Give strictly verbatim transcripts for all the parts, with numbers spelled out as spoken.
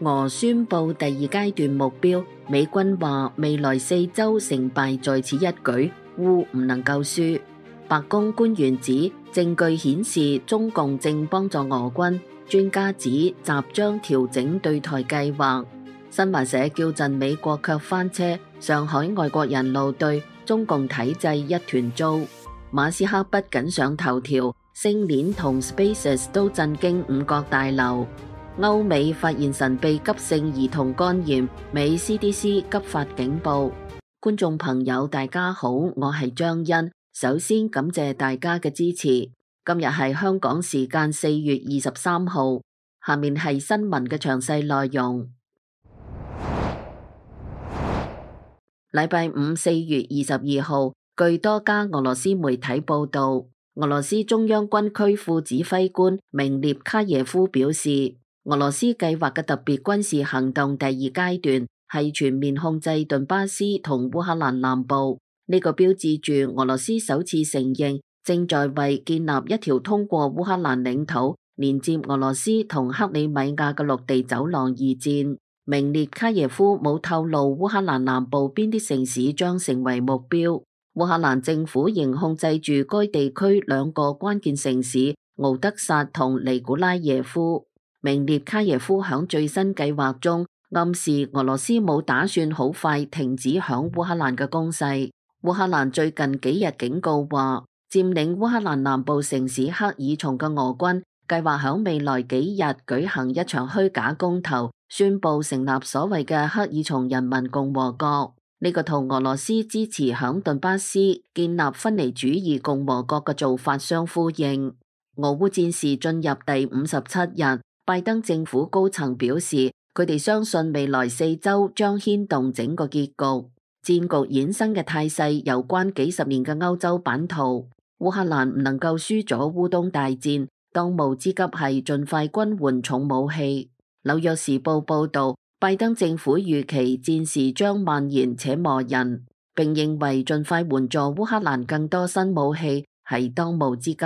俄宣布第二階段目標，美軍話未來四週成敗在此一舉，烏唔能夠輸。白宮官員指證據顯示中共正幫助俄軍，專家指習將調整對台計劃。新華社叫陣美國卻翻車，上海外國人怒對中共體制一團糟。馬斯克不僅上頭條，星鏈同 SpaceX 都震驚五角大樓。歐美發現神秘急性兒童肝炎，美 C D C 急發警報。觀眾朋友大家好，我係張欣，首先感謝大家嘅支持。今日係香港時間四月二十三號，下面係新聞嘅詳細內容。禮拜五四月二十二號，據多家俄羅斯媒體報道，俄羅斯中央軍區副指揮官明列卡耶夫表示，俄羅斯計劃嘅特別軍事行動第二階段係全面控制頓巴斯同烏克蘭南部。呢、這個標誌住俄羅斯首次承認正在為建立一條通過烏克蘭領土連接俄羅斯同克里米亞嘅陸地走廊而戰。明列卡耶夫冇透露烏克蘭南部邊啲城市將成為目標。烏克蘭政府仍控制住該地區兩個關鍵城市敖德薩同尼古拉耶夫。明列卡耶夫響最新計劃中暗示俄羅斯冇打算好快停止響烏克蘭嘅攻勢。烏克蘭最近幾日警告話，佔領烏克蘭南部城市克爾松嘅俄軍計劃響未來幾日舉行一場虛假公投，宣布成立所謂嘅克爾松人民共和國。呢、這個同俄羅斯支持響頓巴斯建立分離主義共和國嘅做法相呼應。俄烏戰事進入第五十七日。拜登政府高層表示，佢哋相信未來四週將牽動整個結局。戰局衍生嘅態勢有關幾十年嘅歐洲版圖。烏克蘭唔能夠輸咗烏東大戰，當務之急係盡快軍援重武器。紐約時報報導，拜登政府預期戰事將蔓延且磨人，並認為盡快援助烏克蘭更多新武器係當務之急。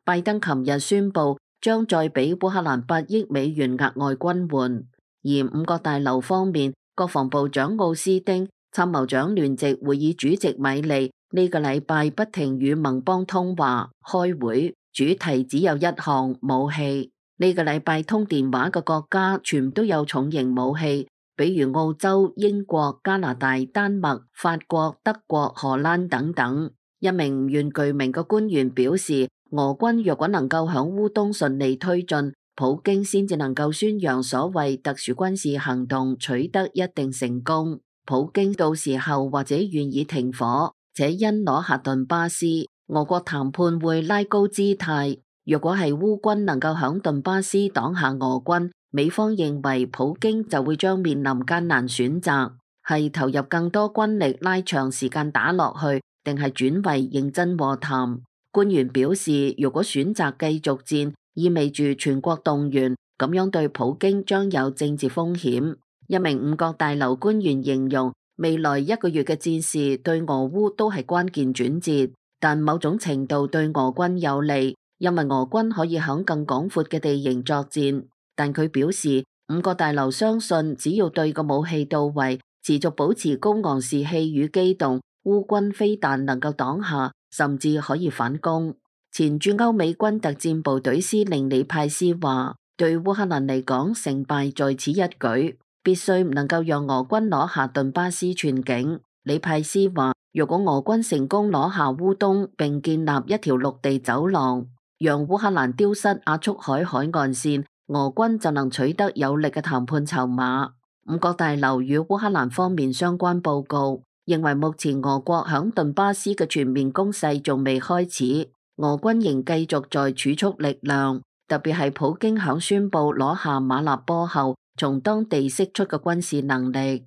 拜登琴日宣布，將再俾烏克蘭八億美元額外軍援。而五角大樓方面，國防部長奧斯丁、參謀長聯席會議主席米利呢、這個禮拜不停與盟邦通話開會，主題只有一項：武器。呢、這個禮拜通電話嘅國家全都有重型武器，比如澳洲、英國、加拿大、丹麥、法國、德國、荷蘭等等。一名唔願具名嘅官員表示，俄軍若果能夠響烏東順利推進，普京先至能夠宣揚所謂特殊軍事行動取得一定成功。普京到時候或者願意停火，且因攞下頓巴斯，俄國談判會拉高姿態。若果係烏軍能夠響頓巴斯擋下俄軍，美方認為普京就會將面臨艱難選擇，係投入更多軍力拉長時間打落去，定係轉為認真和談。官員表示，如果選擇繼續戰，意味住全國動員，咁樣對普京將有政治風險。一名五角大樓官員形容，未來一個月嘅戰事對俄烏都係關鍵轉折，但某種程度對俄軍有利，因為俄軍可以響更廣闊嘅地形作戰。但佢表示，五角大樓相信，只要對個武器到位，持續保持高昂士氣與機動，烏軍非但能夠擋下，甚至可以反攻。前駐歐美軍特戰部隊司令李派斯話，對烏克蘭嚟講，成敗在此一舉，必須唔能夠讓俄軍攞下頓巴斯全境。李派斯話，如果俄軍成功攞下烏東並建立一條陸地走廊，讓烏克蘭丟失亞速海海岸線，俄軍就能取得有力嘅談判籌碼。五角大樓與烏克蘭方面相關報告認為，目前俄國響頓巴斯嘅全面攻勢仲未開始，俄軍仍繼續在儲蓄力量，特別係普京響宣布攞下馬納波後，從當地釋出嘅軍事能力。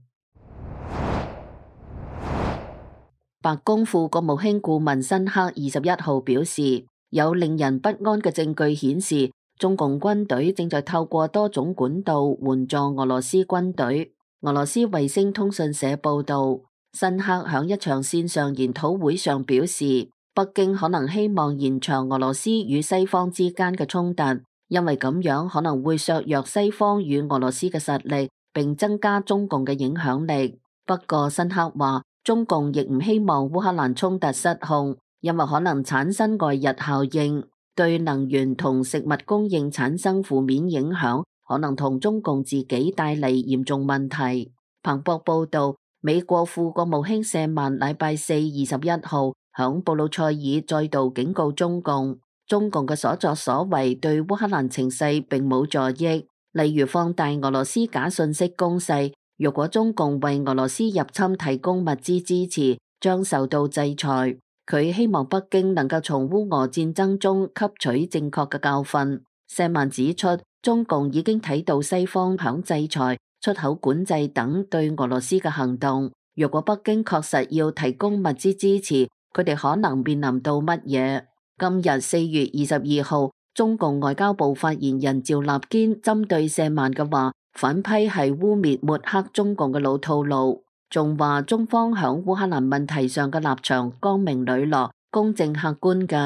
白宮副國務卿顧問辛克二十一號表示，有令人不安嘅證據顯示，中共軍隊正在透過多種管道援助俄羅斯軍隊。俄羅斯衛星通訊社報道，辛克響一場線上研討會上表示，北京可能希望延長俄羅斯與西方之間嘅衝突，因為咁樣可能會削弱西方與俄羅斯嘅實力，並增加中共嘅影響力。不過辛克話，中共亦唔希望烏克蘭衝突失控，因為可能產生外溢效應，對能源同食物供應產生負面影響，可能同中共自己帶嚟嚴重問題。彭博報道，美國副國務卿舍曼禮拜四二十一號響布魯塞爾再度警告中共，中共嘅所作所為對烏克蘭情勢並冇助益，例如放大俄羅斯假信息攻勢。若果中共為俄羅斯入侵提供物資支持，將受到制裁。佢希望北京能夠從烏俄戰爭中吸取正確嘅教訓。舍曼指出，中共已經睇到西方響制裁、出口管制等對俄羅斯嘅行動。若果北京確實要提供物資支持，佢哋可能面臨到乜嘢？今日四月二十二號，中共外交部發言人趙立堅針對舍曼嘅話，反批係污衊抹黑中共嘅老套路，仲話中方響烏克蘭問題上嘅立場光明磊落、公正客觀嘅。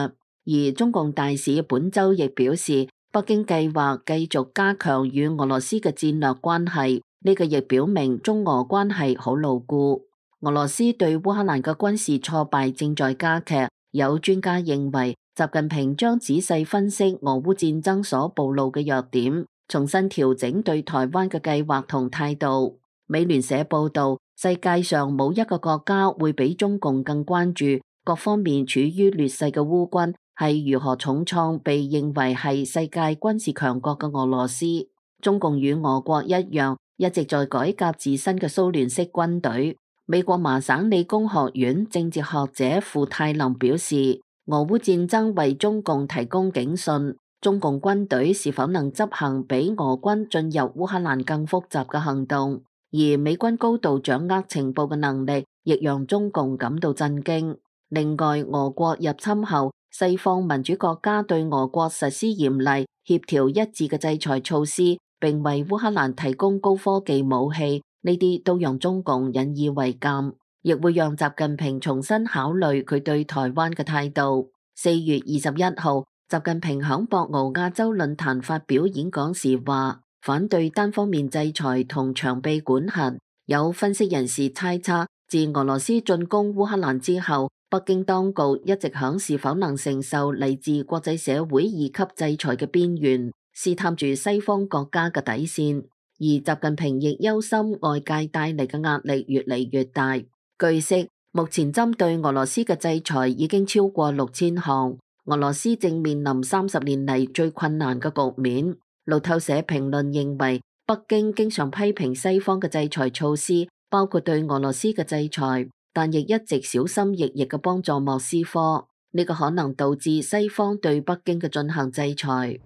而中共大使本周亦表示，北京計劃繼續加強與俄羅斯嘅戰略關係，呢個亦表明中俄關係好牢固。俄羅斯對烏克蘭嘅軍事挫敗正在加劇，有專家認為，習近平將仔細分析俄烏戰爭所暴露嘅弱點，重新調整對台灣嘅計劃同態度。美聯社報道，世界上冇一個國家會比中共更關注各方面處於劣勢嘅烏軍係如何重創被認為係世界軍事強國嘅俄羅斯。中共與俄國一樣，一直在改革自身嘅蘇聯式軍隊。美國麻省理工學院政治學者傅泰林表示，俄烏戰爭為中共提供警訊，中共軍隊是否能執行比俄軍進入烏克蘭更複雜嘅行動，而美軍高度掌握情報嘅能力，亦讓中共感到震驚。另外，俄國入侵後，西方民主國家對俄國實施嚴厲、協調一致嘅制裁措施，並為烏克蘭提供高科技武器，呢啲都讓中共引以為鑑，亦會讓習近平重新考慮佢對台灣嘅態度。四月二十一號，習近平響博鰲亞洲論壇發表演講時話，反對單方面制裁同長臂管轄。有分析人士猜測，自俄羅斯進攻烏克蘭之後，北京當局一直響是否能承受嚟自國際社會二級制裁嘅邊緣，試探住西方國家嘅底線。而習近平亦憂心外界帶嚟嘅壓力越嚟越大。據悉，目前針對俄羅斯嘅制裁已經超過六千項，俄羅斯正面臨三十年嚟最困難嘅局面。路透社評論認為，北京經常批評西方嘅制裁措施，包括對俄羅斯嘅制裁，但亦一直小心翼翼嘅幫助莫斯科，呢個可能導致西方對北京嘅進行制裁。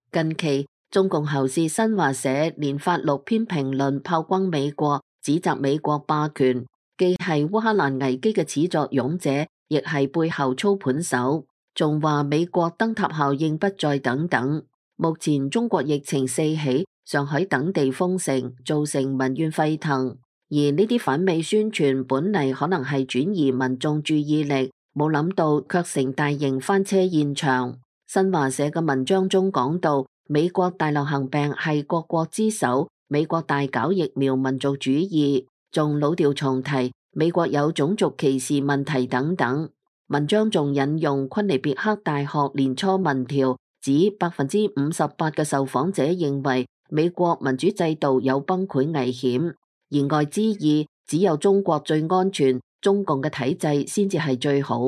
近期，中共喉舌新華社連發六篇評論炮轟美國，指責美國霸權，既係烏克蘭危機嘅始作俑者，亦係背後操盤手，仲話美國燈塔效應不再等等。目前中國疫情四起，上海等地封城，造成民怨沸騰，而呢啲反美宣傳本嚟可能係轉移民眾注意力，冇諗到卻成大型翻車現場。新華社嘅文章中講到，美國大流行病係各國之首，美國大搞疫苗民族主義，仲老調重提美國有種族歧視問題等等。文章仲引用昆尼別克大學年初民調，指百分之五十八嘅受訪者認為美國民主制度有崩潰危險，言外之意只有中國最安全，中共嘅體制先至係最好。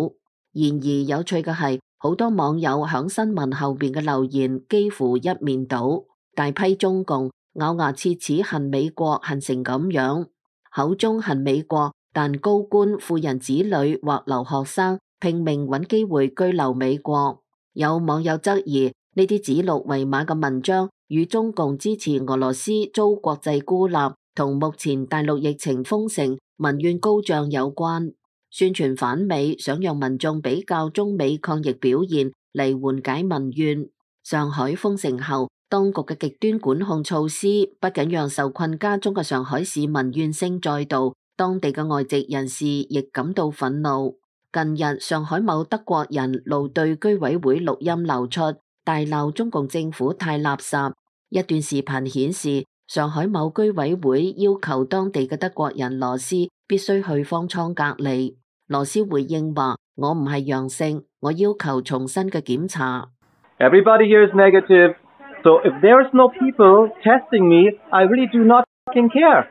然而有趣嘅係，好多網友響新聞後邊嘅留言幾乎一面倒，大批中共咬牙切齒恨美國恨成咁樣，口中恨美國，但高官富人子女或留學生拼命揾機會居留美國。有網友質疑呢啲指鹿為馬嘅文章與中共支持俄羅斯遭國際孤立同目前大陸疫情封城民怨高漲有關，宣傳反美，想讓民眾比較中美抗疫表現嚟緩解民怨。上海封城後，當局嘅極端管控措施不僅讓受困家中嘅上海市民怨聲載道，當地嘅外籍人士亦感到憤怒。近日上海某德國人怒對居委會錄音流出，大鬧中共政府太垃圾。一段視頻顯示，上海某居委會要求當地嘅德國人羅斯必須去方艙隔離。羅斯回應話：我唔係陽性，我要求重新嘅檢查。Everybody here is negative, so if there is no people testing me, I really do not fucking care.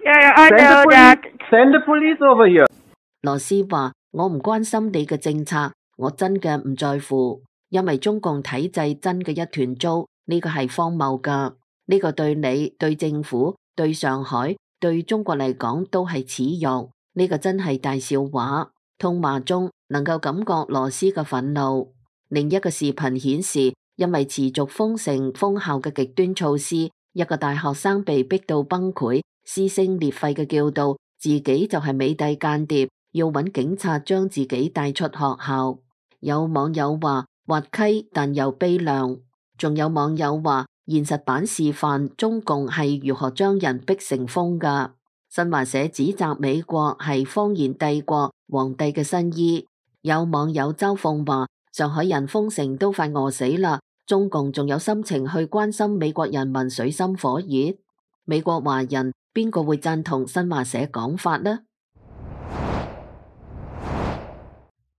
Yeah, I know that. Send the police over here. 羅斯話：我唔關心你嘅政策，我真嘅唔在乎，因為中共體制真嘅一團糟，呢個係荒謬噶，呢個對你、對政府、對上海、對中國嚟講都係恥辱，呢個真係大笑話。通話中能夠感覺羅斯嘅憤怒。另一個視頻顯示，因為持續封城封校嘅極端措施，一個大學生被逼到崩潰，撕聲裂肺嘅叫道自己就係美帝間諜，要揾警察將自己帶出學校。有網友話滑稽但又悲涼，仲有網友話現實版示範中共係如何將人逼成瘋噶。新華社指責美國係謊言帝國皇帝嘅新衣。有網友嘲諷話上海人封城都快餓死啦，中共仲有心情去關心美國人民水深火熱？美國華人邊個會贊同新華社講法呢？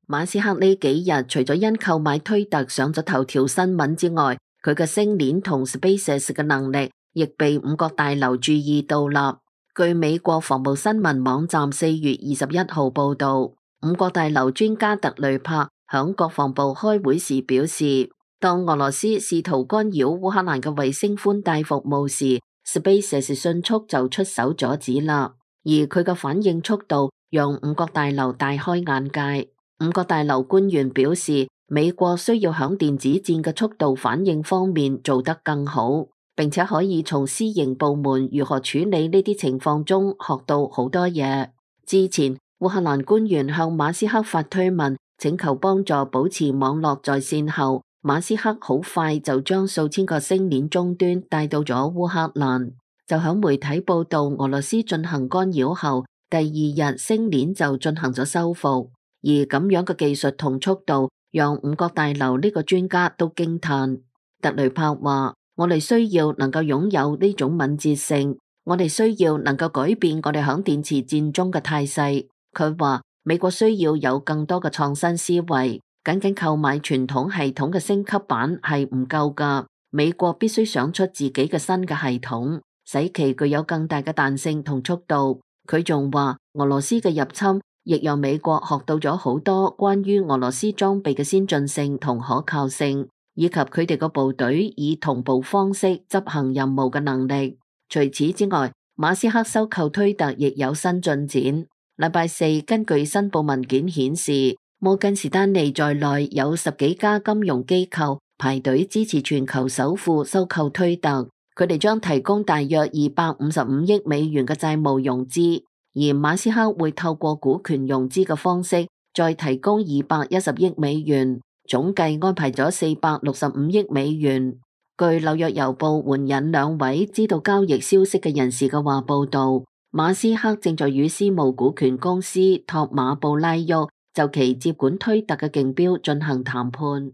馬斯克呢幾日除咗因購買推特上咗頭條新聞之外，佢嘅星鏈同 SpaceX 嘅能力亦被五角大樓注意到啦。據美國防務新聞網站四月二十一號報道，五角大樓專家特雷柏響國防部開會時表示，當俄羅斯試圖干擾烏克蘭嘅衛星寬帶服務時，SpaceX 迅速就出手阻止啦。而佢嘅反應速度讓五角大樓大開眼界。五角大樓官員表示，美國需要響電子戰嘅速度反應方面做得更好，並且可以從私營部門如何處理呢啲情況中學到好多嘢。之前烏克蘭官員向馬斯克發推文，請求幫助保持網絡在線後，馬斯克好快就將數千個星鏈終端帶到咗烏克蘭。就響媒體報道俄羅斯進行干擾後，第二日星鏈就進行咗修復。而咁樣嘅技術同速度，讓五角大樓呢個專家都驚嘆。特雷柏話：我哋需要能夠擁有呢種敏捷性，我哋需要能夠改變我哋響電磁戰中嘅態勢。佢話美國需要有更多嘅創新思維，僅僅購買傳統系統嘅升級版係唔夠噶。美國必須想出自己嘅新嘅系統，使其具有更大嘅彈性同速度。佢仲話俄羅斯嘅入侵亦讓美國學到咗好多關於俄羅斯裝備嘅先進性同可靠性，以及佢哋個部隊以同步方式執行任務嘅能力。除此之外，馬斯克收購推特亦有新進展。禮拜四，根據申報文件顯示，摩根士丹利在內有十幾家金融機構排隊支持全球首富收購推特，佢哋將提供大約二百五十五億美元嘅債務融資。而馬斯克會透過股權融資嘅方式再提供二百一十億美元，總計安排咗四百六十五億美元。據紐約郵報援引兩位知道交易消息嘅人士嘅話報道，馬斯克正在與私募股權公司托馬布拉沃就其接管推特嘅競標進行談判。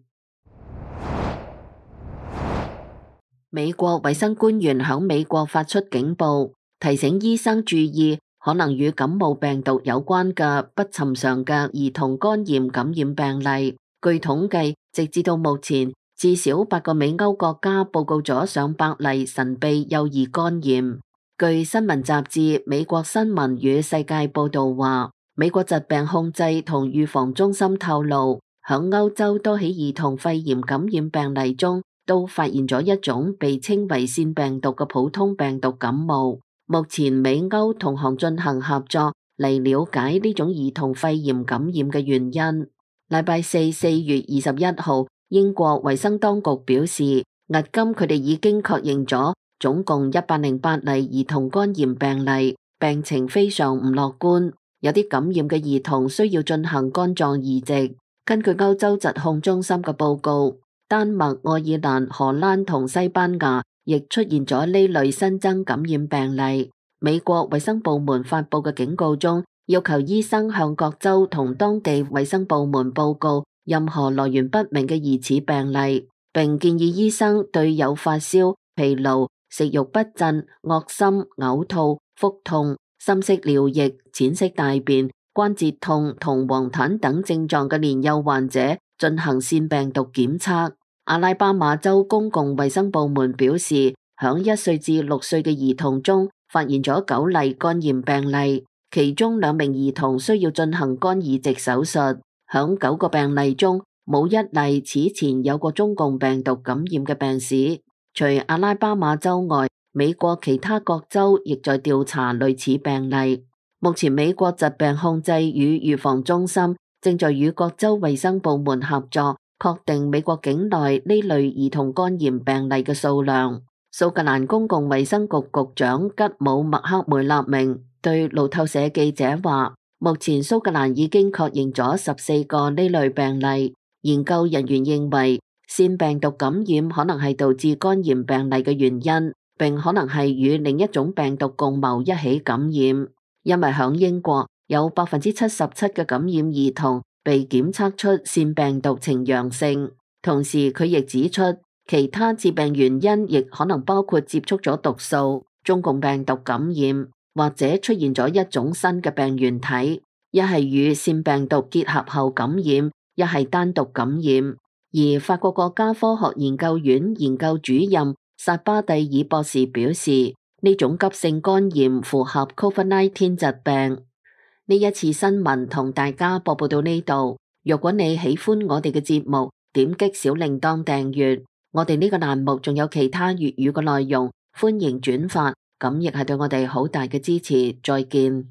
美國衛生官員響美國發出警報，提醒醫生注意可能與感冒病毒有關嘅不尋常嘅兒童肝炎感染病例。據統計，直至到目前，至少八個美歐國家報告咗上百例神秘幼兒肝炎。據新聞雜誌《美國新聞與世界》報道話，美國疾病控制同預防中心透露，響歐洲多起兒童肺炎感染病例中，都發現咗一種被稱為腺病毒嘅普通病毒感冒。目前美歐同行進行合作嚟了解呢種兒童肺炎感染嘅原因。禮拜四，四月二十一號，英國衛生當局表示，迄今佢哋已經確認咗總共一百零八例兒童肝炎病例，病情非常唔樂觀。有啲感染嘅兒童需要進行肝臟移植。根據歐洲疾控中心嘅報告，丹麥、愛爾蘭、荷蘭同西班牙亦出現咗呢類新增感染病例。美國衛生部門發佈嘅警告中，要求醫生向各州同當地衛生部門報告任何來源不明嘅疑似病例，並建議醫生對有發燒、疲勞、食慾不振、噁心、嘔吐、腹痛、深色尿液、淺色大便、關節痛同黃疸等症狀嘅年幼患者進行腺病毒檢測。阿拉巴馬州公共衛生部門表示，響一歲至六歲嘅兒童中發現咗九例肝炎病例，其中兩名兒童需要進行肝移植手術。響九個病例中，冇一例此前有過中共病毒感染嘅病史。除阿拉巴馬州外，美國其他各州亦在調查類似病例。目前美國疾病控制與預防中心正在與各州衛生部門合作，確定美國境內呢類兒童肝炎病例嘅數量。蘇格蘭公共衛生局局長吉姆麥克梅納明對路透社記者話，目前蘇格蘭已經確認咗十四個呢類病例。研究人員認為，腺病毒感染可能係導致肝炎病例嘅原因，並可能係與另一種病毒共謀一起感染。因為響英國有百分之七十七嘅感染兒童被檢測出腺病毒呈陽性。同時，佢亦指出，其他致病原因亦可能包括接觸咗毒素、中共病毒感染，或者出現咗一種新嘅病原體，一係與腺病毒結合後感染，一係單獨感染。而法國國家科學研究院研究主任薩巴蒂爾博士表示，呢種急性肝炎符合 COVID 十九 疾病。呢一次新聞同大家播報到呢度。如果你喜歡我哋嘅節目，點擊小鈴鐺訂閱。我哋呢個欄目仲有其他粵語嘅內容，歡迎轉發，咁亦係對我哋好大嘅支持。再見。